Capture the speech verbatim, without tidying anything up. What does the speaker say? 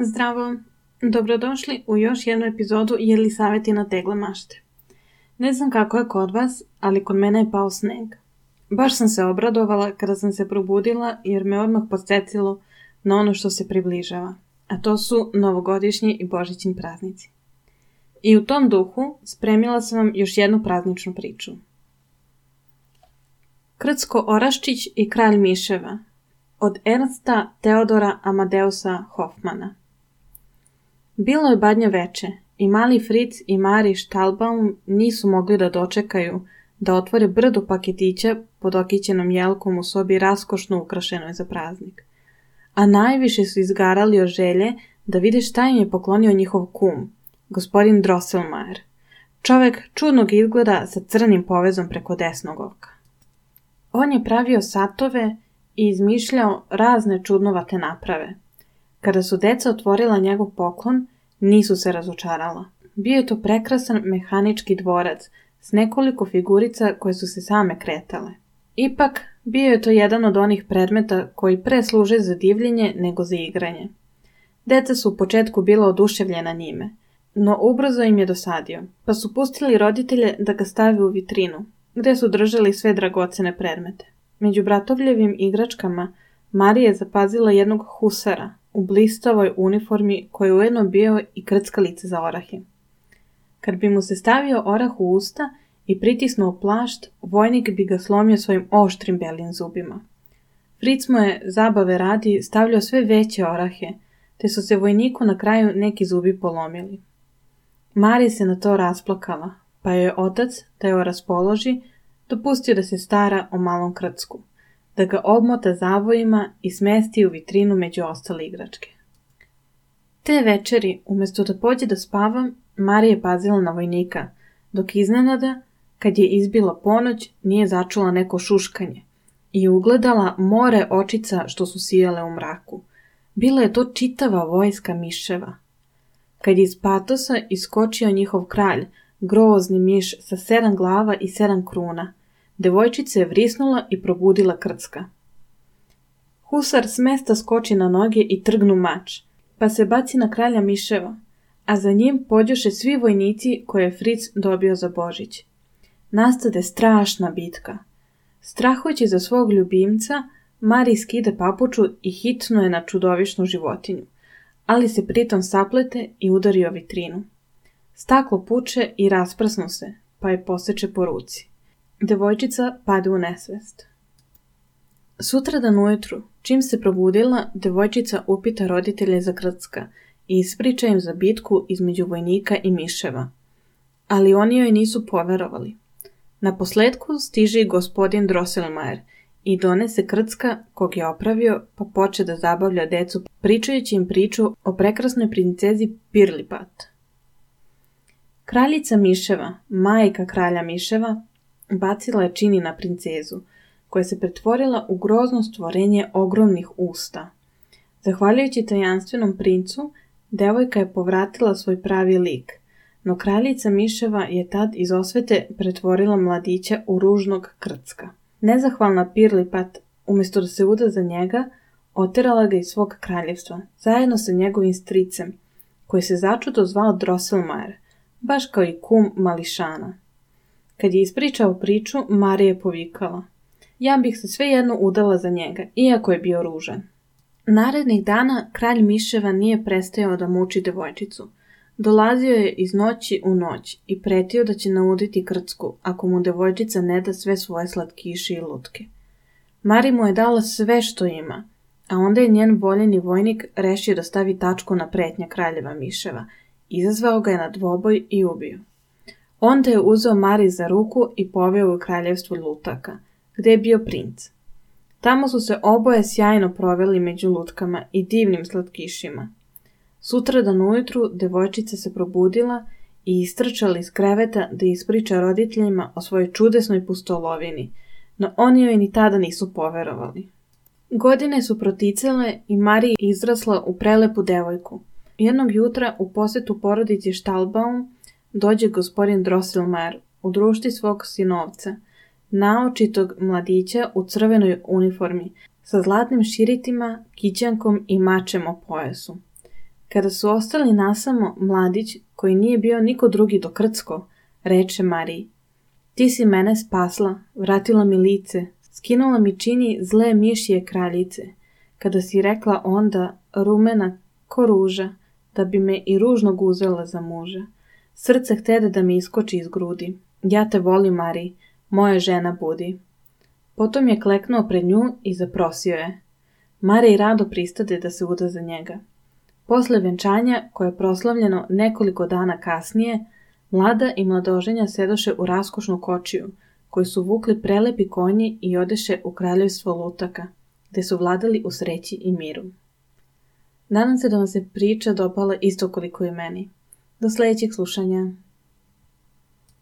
Zdravo, dobrodošli u još jednu epizodu Jelisaveti tegle mašte. Ne znam kako je kod vas, ali kod mene je pao sneg. Baš sam se obradovala kada sam se probudila jer me odmah podsjetilo na ono što se približava, a to su novogodišnji i božićni praznici. I u tom duhu spremila sam vam još jednu prazničnu priču. Krcko Oraščić i kralj miševa od Ernsta Teodora Amadeusa Hofmana. Bilo je badnje veče i mali Fritz i Mari Štalbaum nisu mogli da dočekaju da otvore brdo paketića pod okićenom jelkom u sobi raskošno ukrašenoj za praznik. A najviše su izgarali od želje da vide šta im je poklonio njihov kum, gospodin Drosselmayer, čovek čudnog izgleda sa crnim povezom preko desnog oka. On je pravio satove i izmišljao razne čudnovate naprave. Kada su deca otvorila njegov poklon, nisu se razočarala. Bio je to prekrasan mehanički dvorac s nekoliko figurica koje su se same kretale. Ipak, bio je to jedan od onih predmeta koji pre služe za divljenje nego za igranje. Deca su u početku bila oduševljena njime, no ubrzo im je dosadio, pa su pustili roditelje da ga stave u vitrinu, gde su držali sve dragocene predmete. Među bratovljevim igračkama Marija je zapazila jednog husara u blistavoj uniformi koji je ujedno bio i krckalica za orahe. Kad bi mu se stavio orah u usta i pritisnuo plašt, vojnik bi ga slomio svojim oštrim belim zubima. Fritz mu je, zabave radi, stavljao sve veće orahe, te su se vojniku na kraju neki zubi polomili. Marija se na to rasplakala, pa joj je otac, da je raspoloži, dopustio da se stara o malom krcku, da ga obmota zavojima i smesti u vitrinu među ostale igračke. Te večeri, umjesto da pođe da spava, Marija je pazila na vojnika, dok iznenada, kad je izbila ponoć, nije začula neko šuškanje i ugledala more očica što su sijale u mraku. Bila je to čitava vojska miševa. Kad je iz patosa iskočio njihov kralj, grozni miš sa sedam glava i sedam kruna, devojčica je vrisnula i probudila krcka. Husar s mesta skoči na noge i trgnu mač, pa se baci na kralja miševa, a za njim pođoše svi vojnici koje je Fritz dobio za Božić. Nastade strašna bitka. Strahujući za svog ljubimca, Mari skide papuču i hitno je na čudovišnu životinju, ali se pritom saplete i udari o vitrinu. Staklo puče i rasprsnu se, pa je poseče po ruci. Devojčica pade u nesvest. Sutradan ujutru, čim se probudila, devojčica upita roditelje za krcka i ispriča im za bitku između vojnika i miševa. Ali oni joj nisu poverovali. Naposletku stiže i gospodin Drosselmayer i donese krcka kog je opravio, pa poče da zabavlja decu pričajući im priču o prekrasnoj princezi Pirlipat. Kraljica miševa, majka kralja miševa, bacila je čini na princezu, koja se pretvorila u grozno stvorenje ogromnih usta. Zahvaljujući tajanstvenom princu, devojka je povratila svoj pravi lik, no kraljica miševa je tad iz osvete pretvorila mladića u ružnog krcka. Nezahvalna Pirlipat, umjesto da se uda za njega, oterala ga iz svog kraljevstva, zajedno sa njegovim stricem, koji se začudo zvao Drosselmayer, baš kao i kum mališana. Kad je ispričao priču, Marija je povikala: ja bih se svejedno udala za njega, iako je bio ružan. Narednih dana kralj miševa nije prestajao da muči devojčicu. Dolazio je iz noći u noć i pretio da će nauditi krcku ako mu devojčica ne da sve svoje slatkiše i lutke. Mari mu je dala sve što ima, a onda je njen voljeni vojnik rešio da stavi tačku na pretnje kraljeva miševa, izazvao ga je na dvoboj i ubio. Onda je uzeo Mari za ruku i poveo u kraljevstvo lutaka, gde je bio princ. Tamo su se oboje sjajno proveli među lutkama i divnim slatkišima. Sutradan ujutru devojčica se probudila i istrčala iz kreveta da ispriča roditeljima o svojoj čudesnoj pustolovini, no oni joj ni tada nisu poverovali. Godine su proticale i Marija izrasla u prelepu devojku. Jednog jutra u posetu porodici Štalbaum dođe gospodin Drosselmayer u društvi svog sinovca, naočitog mladića u crvenoj uniformi, sa zlatnim širitima, kićankom i mačem o pojasu. Kada su ostali nasamo, mladić, koji nije bio niko drugi do Krcko, reče Mariji: Ti si mene spasla, vratila mi lice, skinula mi čini zle mišije kraljice, kada si rekla onda, rumena ko ruža, da bi me i ružnog uzela za muža. Srce htede da mi iskoči iz grudi. Ja te volim, Mariji, moja žena budi. Potom je kleknuo pred nju i zaprosio je. Mariji rado pristade da se uda za njega. Posle venčanja, koje je proslavljeno nekoliko dana kasnije, mlada i mladoženja sedoše u raskošnu kočiju, koju su vukli prelepi konji i odeše u kraljevstvo Lutaka, gde su vladali u sreći i miru. Nadam se da vam se priča dopala isto koliko i meni. Do sledećeg slušanja.